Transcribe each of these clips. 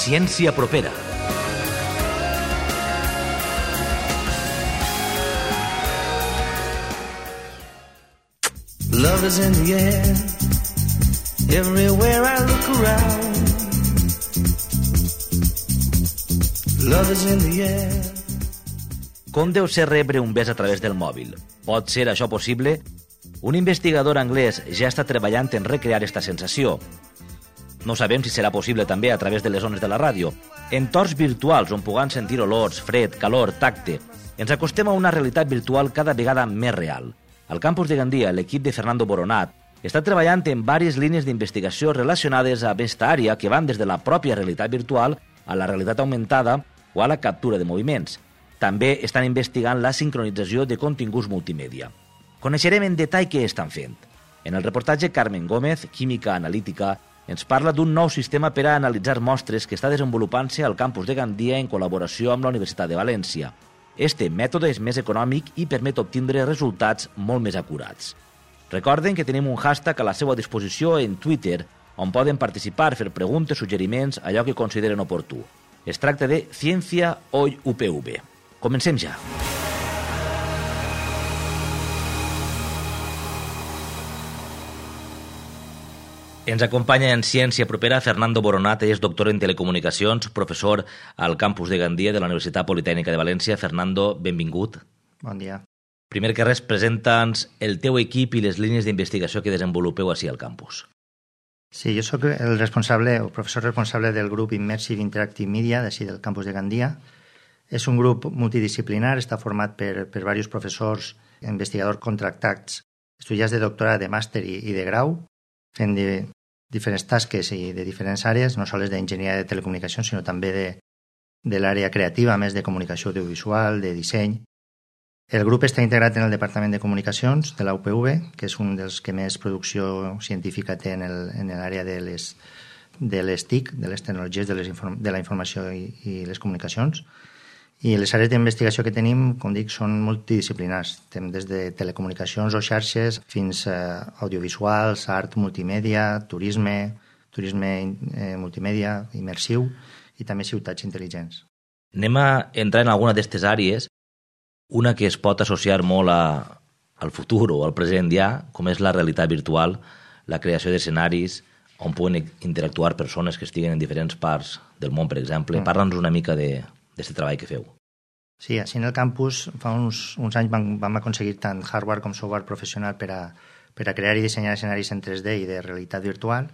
Ciència propera. Love is in the air, everywhere I look around. Love is in the air. Com deu ser rebre un bes a través del mòbil? Pot ser això possible? Un investigador anglès ja està treballant en recrear esta sensació. No sabem si serà possible també a través de les ones de la ràdio. Entorns virtuals on puguem sentir olors, fred, calor, tacte. Ens acostem a una realitat virtual cada vegada més real. Al campus de Gandia, l'equip de Fernando Boronat està treballant en diverses línies d'investigació relacionades a aquesta àrea que van des de la pròpia realitat virtual a la realitat augmentada o a la captura de moviments. També estan investigant la sincronització de continguts multimèdia. Coneixerem en detall què estan fent. En el reportatge, Carmen Gómez, química analítica, ens parla d'un nou sistema per a analitzar mostres que està desenvolupant-se al campus de Gandia en col·laboració amb la Universitat de València. Este mètode és més econòmic i permet obtindre resultats molt més acurats. Recorden que tenim un hashtag a la seva disposició en Twitter on poden participar, fer preguntes, suggeriments, allò que consideren oportú. Es tracta de Ciència Hoy UPV. Comencem ja. Ens acompanya en Ciència Propera Fernando Boronat, és doctor en Telecomunicacions, professor al campus de Gandia de la Universitat Politècnica de València. Fernando, benvingut. Bon dia. Primer que res, presenta'ns el teu equip i les línies d'investigació que desenvolupeu ací al campus. Sí, jo sóc el professor responsable del grup Immersive Interactive Media d'ací del campus de Gandia. És un grup multidisciplinar, està format per diversos professors, investigadors contractats, estudiants de doctorat, de màster i de grau, fent diferents tasques i de diferents àrees, no sols d'enginyeria de telecomunicacions, sinó també de l'àrea creativa, més de comunicació audiovisual, de disseny. El grup està integrat en el Departament de Comunicacions de la UPV, que és un dels que més producció científica té en l'àrea de les TIC, de les tecnologies de la informació i les comunicacions. I les àrees d'investigació que tenim, com dic, són multidisciplinars. Tenim des de telecomunicacions o xarxes fins a audiovisuals, art multimèdia, turisme multimèdia, immersiu i també ciutats intel·ligents. Anem a entrar en alguna d'aquestes àrees, una que es pot associar molt al futur o al present ja, com és la realitat virtual, la creació d'escenaris on puguen interactuar persones que estiguen en diferents parts del món, per exemple. Parla'ns una mica d'aquest treball que feu. Sí, així en el campus fa uns anys vam aconseguir tant hardware com software professional per a crear i dissenyar escenaris en 3D i de realitat virtual.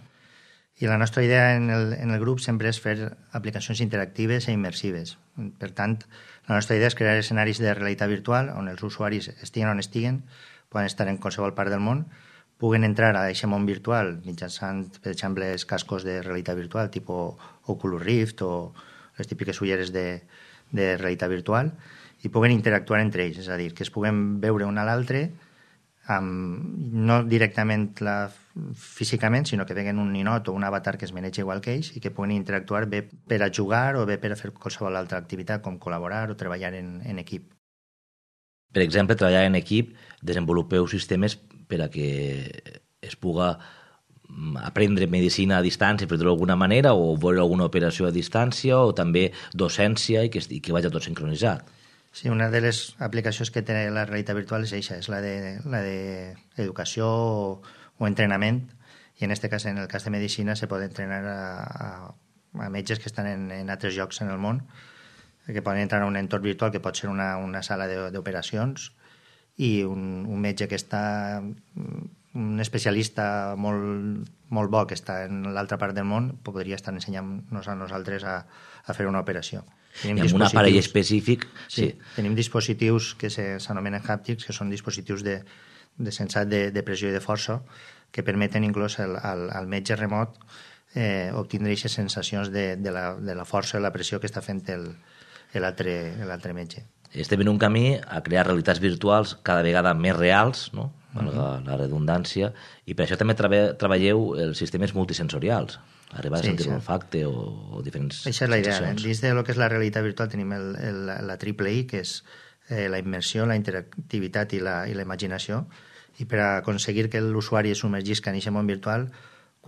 I la nostra idea en el grup sempre és fer aplicacions interactives i immersives. Per tant, la nostra idea és crear escenaris de realitat virtual on els usuaris estiguen on estiguen, poden estar en qualsevol part del món, puguen entrar a aquest món virtual mitjançant, per exemple, els cascos de realitat virtual, tipus Oculus Rift o les típiques ulleres de realitat virtual, i puguen interactuar entre ells, és a dir, que es puguen veure un a l'altre, no directament físicament, sinó que veguen un ninot o un avatar que es maneja igual que ells i que puguen interactuar bé per a jugar o bé per a fer qualsevol altra activitat, com col·laborar o treballar en equip. Per exemple, treballar en equip, desenvolupeu sistemes per a que es puga aprendre medicina a distància, per dir-ho d'alguna manera, o veure alguna operació a distància, o també docència i que vagi tot sincronitzat. Sí, una de les aplicacions que té la realitat virtual és això, és la d'educació o entrenament, i en aquest cas, en el cas de medicina, se pot entrenar a metges que estan en altres llocs en el món, que poden entrar a un entorn virtual que pot ser una sala d'operacions, i un metge que està, un especialista molt bo que està en l'altra part del món, podria estar ensenyant-nos a nosaltres a fer una operació. Amb un aparell específic. Sí, tenim dispositius que s'anomenen hàptics, que són dispositius de sensat de pressió i de força, que permeten inclús al metge remot obtindre aquestes sensacions de la força i la pressió que està fent l'altre metge. Estem en un camí a crear realitats virtuals cada vegada més reals, no? La redundància, i per això també treballeu els sistemes multisensorials, arribar a sentir l'olfacte o diferents sensacions. Això és la idea. Dins de lo que és la realitat virtual tenim la triple I, que és la immersió, la interactivitat i la imaginació, i per aconseguir que l'usuari es submergisca en aquest món virtual,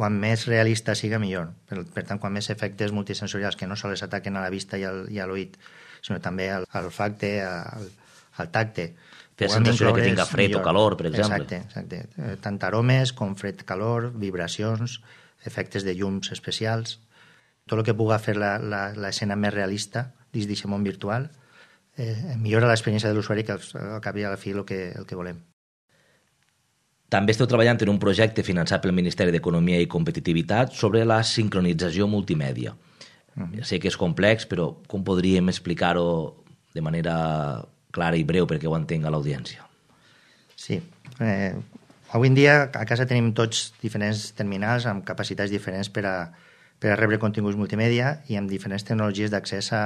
quan més realista siga, millor. Per tant, quan més efectes multisensorials que no sols ataquen a la vista i a l'oït, sinó també al olfacte, al tacte. Fer sensació que tinga fred o calor, per exemple. Exacte. Tant aromes com fred, calor, vibracions, efectes de llums especials, tot el que pugui fer l'escena més realista dins d'aquest món virtual millora l'experiència de l'usuari, que al cap i a la fi el que volem. També esteu treballant en un projecte finançat pel Ministeri d'Economia i Competitivitat sobre la sincronització multimèdia. Ja sé que és complex, però com podríem explicar-ho de manera clara i breu perquè ho entenga l'audiència? Sí. Avui en dia a casa tenim tots diferents terminals amb capacitats diferents per a rebre continguts multimèdia i amb diferents tecnologies d'accés a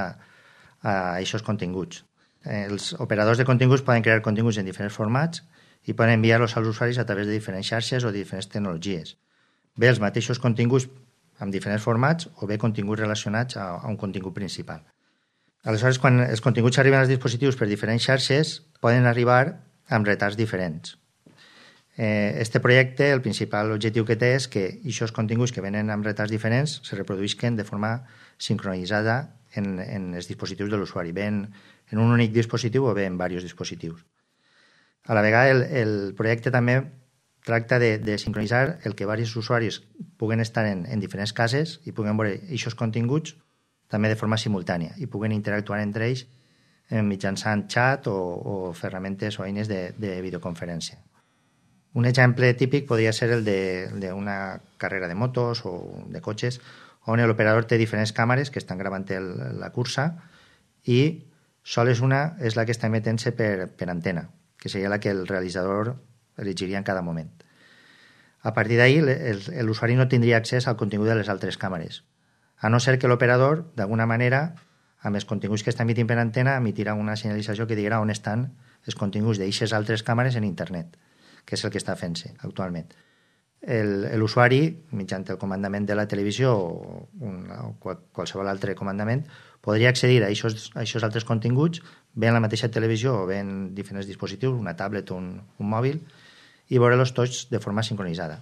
aquests continguts. Els operadors de continguts poden crear continguts en diferents formats i poden enviar-los als usuaris a través de diferents xarxes o de diferents tecnologies. Bé els mateixos continguts amb diferents formats o bé continguts relacionats a un contingut principal. Aleshores, quan els continguts arriben als dispositius per diferents xarxes, poden arribar amb retards diferents. Este projecte, el principal objectiu que té és que aquests continguts que venen amb retards diferents se reproduïsquen de forma sincronitzada en els dispositius de l'usuari, bé en un únic dispositiu o bé en diversos dispositius. A la vegada, el projecte també tracta de sincronitzar el que diversos usuaris puguen estar en diferents cases i puguen veure aquests continguts també de forma simultània i puguen interactuar entre ells mitjançant xat o ferramentes o eines de videoconferència. Un exemple típic podria ser el d'una carrera de motos o de cotxes on l'operador té diferents càmeres que estan gravant la cursa i sols una és la que està emetent-se per antena, que seria la que el realitzador elegiria en cada moment. A partir d'ahí, l'usuari no tindria accés al contingut de les altres càmeres, a no ser que l'operador, d'alguna manera, amb els continguts que està emitint per antena, emitirà una senyalització que dirà on estan els continguts d'aquestes altres càmeres en internet, que és el que està fent-se actualment. L'usuari, mitjançant el comandament de la televisió o qualsevol altre comandament, podria accedir a aquests altres continguts bé en la mateixa televisió o bé en diferents dispositius, una tablet o un mòbil, i veure-los tots de forma sincronitzada.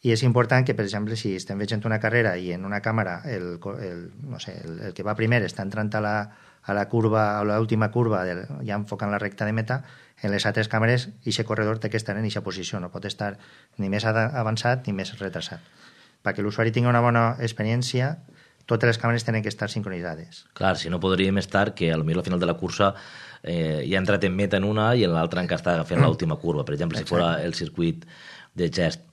I és important que, per exemple, si estem veient una carrera i en una càmera el que va primer està entrant a la curva, a l'última curva, ja enfocant la recta de meta, en les altres càmeres aquest corredor té que estar en aquesta posició, no pot estar ni més avançat ni més retrasat. Perquè l'usuari tingui una bona experiència, totes les càmeres tenen que estar sincronitzades. Clar, si no podríem estar que al final de la cursa ja ha entrat en meta en una i en l'altra encara està fent l'última curva. Per exemple, si fos el circuit de gest.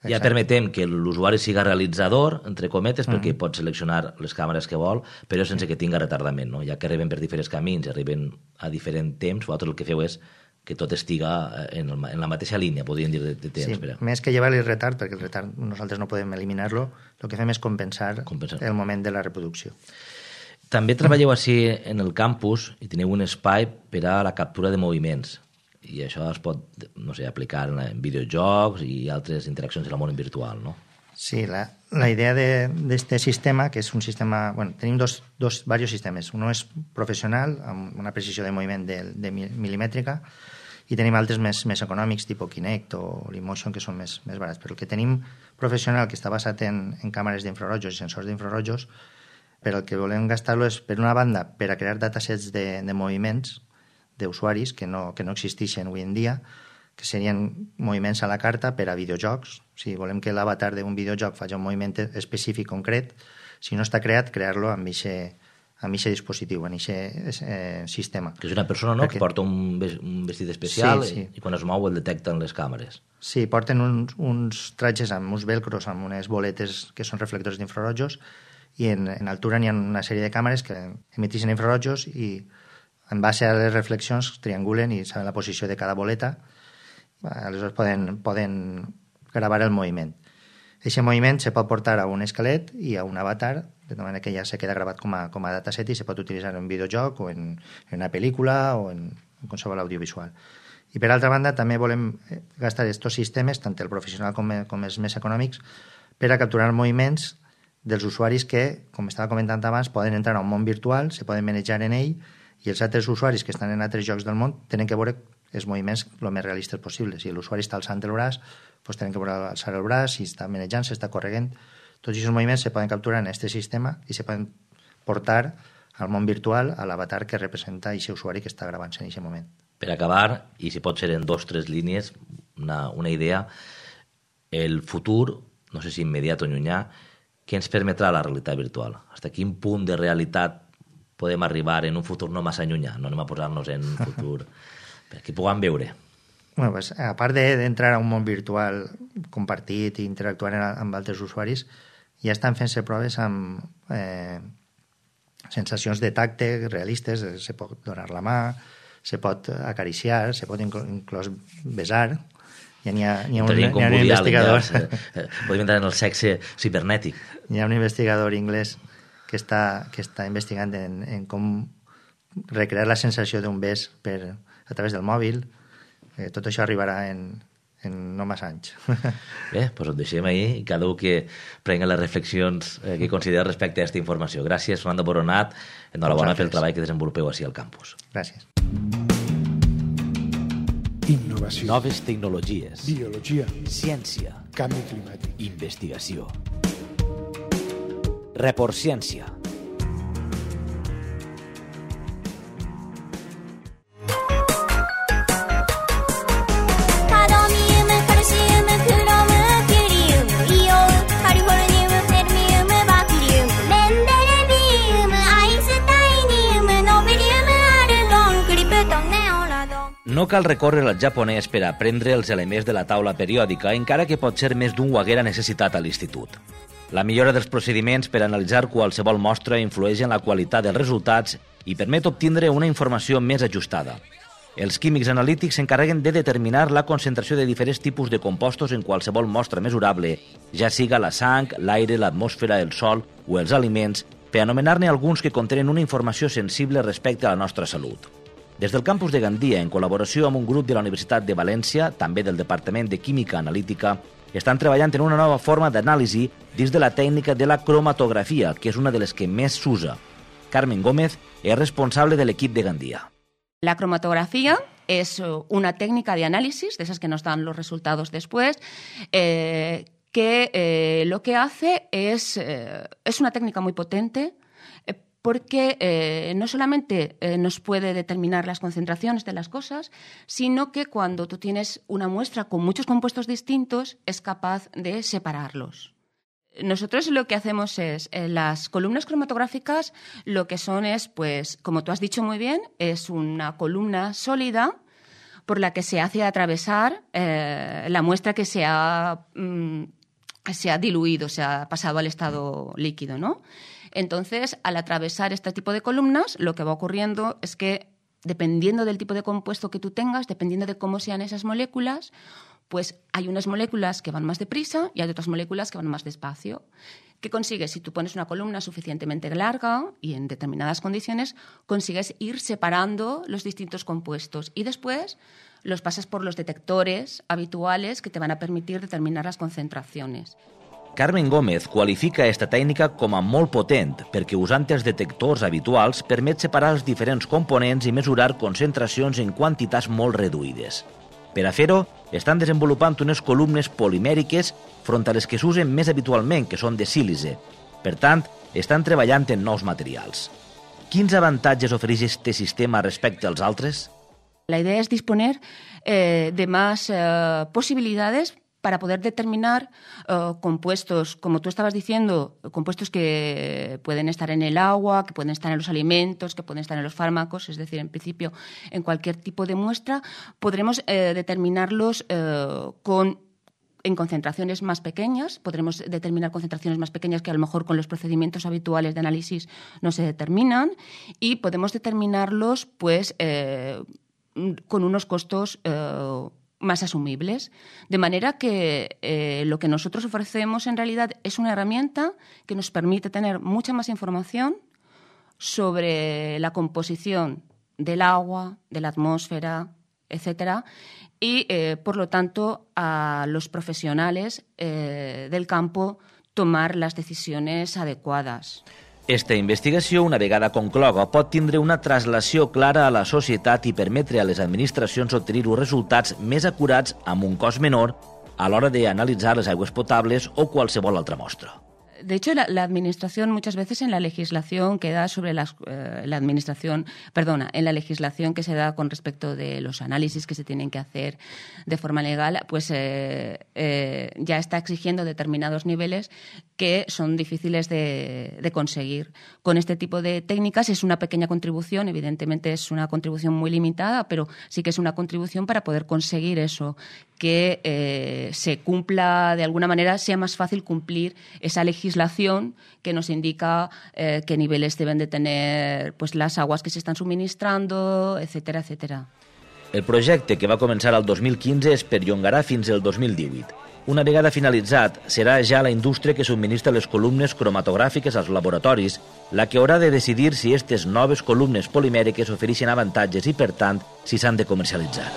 Ja permetem que l'usuari siga realitzador, entre cometes, perquè pot seleccionar les càmeres que vol, però sense que tinga retardament, no? Ja que arriben per diferents camins, arriben a diferent temps, vosaltres el que feu és que tot estiga en la mateixa línia, podríem dir, de temps. Sí, més que llevar-li el retard, perquè el retard nosaltres no podem eliminar-lo, el que fem és compensar el moment de la reproducció. També treballeu així en el campus i teniu un espai per a la captura de moviments. I això es pot, no sé, aplicar en videojocs i altres interaccions en el món virtual, no? Sí, la idea d'aquest sistema, que és un sistema... Bueno, tenim diversos sistemes. Un és professional, amb una precisió de moviment de milimètrica, i tenim altres més econòmics, tipus Kinect o Leapmotion, que són més barats. Però el que tenim professional, que està basat en càmeres d'infrarojos i sensors d'infrarojos, per el que volem gastar-lo és, per una banda, per a crear datasets de moviments d'usuaris que no existeixen avui en dia, que serien moviments a la carta per a videojocs. Si volem que l'avatar d'un videojoc faci un moviment específic concret, si no està creat, crear-lo amb aquest dispositiu, amb aquest sistema. Que és una persona, no?, que porta un vestit especial i quan es mou el detecten les càmeres. Sí, porten uns tratges amb uns velcros, amb unes boletes que són reflectors d'infrarojos, i en altura n'hi ha una sèrie de càmeres que emetixen infrarojos i en base a les reflexions triangulen i saben la posició de cada boleta. Aleshores poden gravar el moviment. Aquest moviment se pot portar a un esquelet i a un avatar, de manera que ja se queda gravat com a dataset i se pot utilitzar en un videojoc o en una pel·lícula o en qualsevol audiovisual. I per altra banda també volem gastar aquests sistemes, tant el professional com els més econòmics, per a capturar moviments dels usuaris que, com estava comentant abans, poden entrar a un món virtual, se poden manejar en ell, i els altres usuaris que estan en altres llocs del món tenen que veure els moviments el més realistes possible. Si l'usuari està alçant el braç, doncs tenen que poder alçar el braç, si està manejant, si està corregent. Tots aquests moviments se poden capturar en aquest sistema i se poden portar al món virtual, a l'avatar que representa aquest usuari que està gravant-se en aquest moment. Per acabar, i si pot ser en 2 o 3 línies, una idea, el futur, no sé si immediat o llunyà, què ens permetrà la realitat virtual? Fins a quin punt de realitat podem arribar en un futur no massa llunyà? No anem a posar-nos en un futur perquè puguem veure. Bueno, pues, a part d'entrar a un món virtual compartit i interactuant amb altres usuaris, ja estan fent-se proves amb sensacions de tacte realistes, se pot donar la mà, se pot acariciar, se pot inclús besar. Ja n'hi ha un investigador... Podem entrar en el sexe cibernètic. Hi ha un investigador anglès que està investigant en com recrear la sensació d'un bes a través del mòbil. Tot això arribarà en no massa anys. Bé, doncs ho deixem ahir i cada un que prengui les reflexions que considera respecte a aquesta informació. Gràcies, Fernando Boronat. Enhorabona pel treball que desenvolupeu així al campus. Gràcies. Innovació. Noves tecnologies. Biologia. Ciència. Canvi climàtic. Investigació. Report Ciència. No cal recórrer al japonès per aprendre els elements de la taula periòdica, encara que pot ser més d'un ho haguera necessitat a l'institut. La millora dels procediments per analitzar qualsevol mostra influeix en la qualitat dels resultats i permet obtindre una informació més ajustada. Els químics analítics s'encarreguen de determinar la concentració de diferents tipus de compostos en qualsevol mostra mesurable, ja siga la sang, l'aire, l'atmosfera, el sol o els aliments, per anomenar-ne alguns que contenen una informació sensible respecte a la nostra salut. Des del campus de Gandia, en col·laboració amb un grup de la Universitat de València, també del Departament de Química Analítica, estan treballant en una nova forma d'anàlisi dins de la tècnica de la cromatografia, que és una de les que més s'usa. Carmen Gómez és responsable de l'equip de Gandia. La cromatografía es una técnica de análisis, de esas que nos dan los resultados después, que lo que hace es una técnica muy potente, porque no solamente nos puede determinar las concentraciones de las cosas, sino que cuando tú tienes una muestra con muchos compuestos distintos, es capaz de separarlos. Nosotros lo que hacemos es, las columnas cromatográficas lo que son es, pues, como tú has dicho muy bien, es una columna sólida por la que se hace atravesar la muestra que se ha diluido, se ha pasado al estado líquido, ¿no? Entonces, al atravesar este tipo de columnas, lo que va ocurriendo es que, dependiendo del tipo de compuesto que tú tengas, dependiendo de cómo sean esas moléculas, pues hay unas moléculas que van más deprisa y hay otras moléculas que van más despacio. ¿Qué consigues? Si tú pones una columna suficientemente larga y en determinadas condiciones, consigues ir separando los distintos compuestos y después los pasas por los detectores habituales que te van a permitir determinar las concentraciones. Carmen Gómez qualifica aquesta tècnica com a molt potent perquè usant els detectors habituals permet separar els diferents components i mesurar concentracions en quantitats molt reduïdes. Per a fer-ho, estan desenvolupant unes columnes polimèriques front a les que s'usen més habitualment, que són de sílice. Per tant, estan treballant en nous materials. Quins avantatges ofereix este sistema respecte als altres? La idea es disponer de más posibilidades para poder determinar compuestos, como tú estabas diciendo, compuestos que pueden estar en el agua, que pueden estar en los alimentos, que pueden estar en los fármacos, es decir, en principio, en cualquier tipo de muestra, podremos determinarlos en concentraciones más pequeñas, podremos determinar concentraciones más pequeñas que a lo mejor con los procedimientos habituales de análisis no se determinan y podemos determinarlos pues con unos costos más asumibles. De manera que lo que nosotros ofrecemos en realidad es una herramienta que nos permite tener mucha más información sobre la composición del agua, de la atmósfera, etcétera, y por lo tanto a los profesionales del campo tomar las decisiones adecuadas. Esta investigació, una vegada concloga, pot tindre una traslació clara a la societat i permetre a les administracions obtenir uns resultats més acurats amb un cost menor a l'hora d'analitzar les aigües potables o qualsevol altra mostra. De hecho, la administración muchas veces en la legislación que da sobre en la legislación que se da con respecto de los análisis que se tienen que hacer de forma legal, pues ya está exigiendo determinados niveles que son difíciles de conseguir. Con este tipo de técnicas es una pequeña contribución, evidentemente es una contribución muy limitada, pero sí que es una contribución para poder conseguir eso, que se cumpla de alguna manera, sea más fácil cumplir esa legislación que nos indica qué niveles deben de tener pues, las aguas que se están suministrando, etcétera, etcétera. El projecte, que va començar el 2015, es perllongarà fins al 2018. Una vegada finalitzat, serà ja la indústria que subministra les columnes cromatogràfiques als laboratoris la que haurà de decidir si aquestes noves columnes polimèriques ofereixen avantatges i, per tant, si s'han de comercialitzar.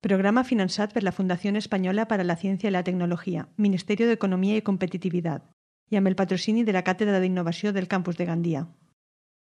Programa finançat per la Fundació Espanyola para la Ciencia y la Tecnología, Ministerio de Economía y Competitividad, i amb el patrocini de la Càtedra d'Innovació del Campus de Gandia.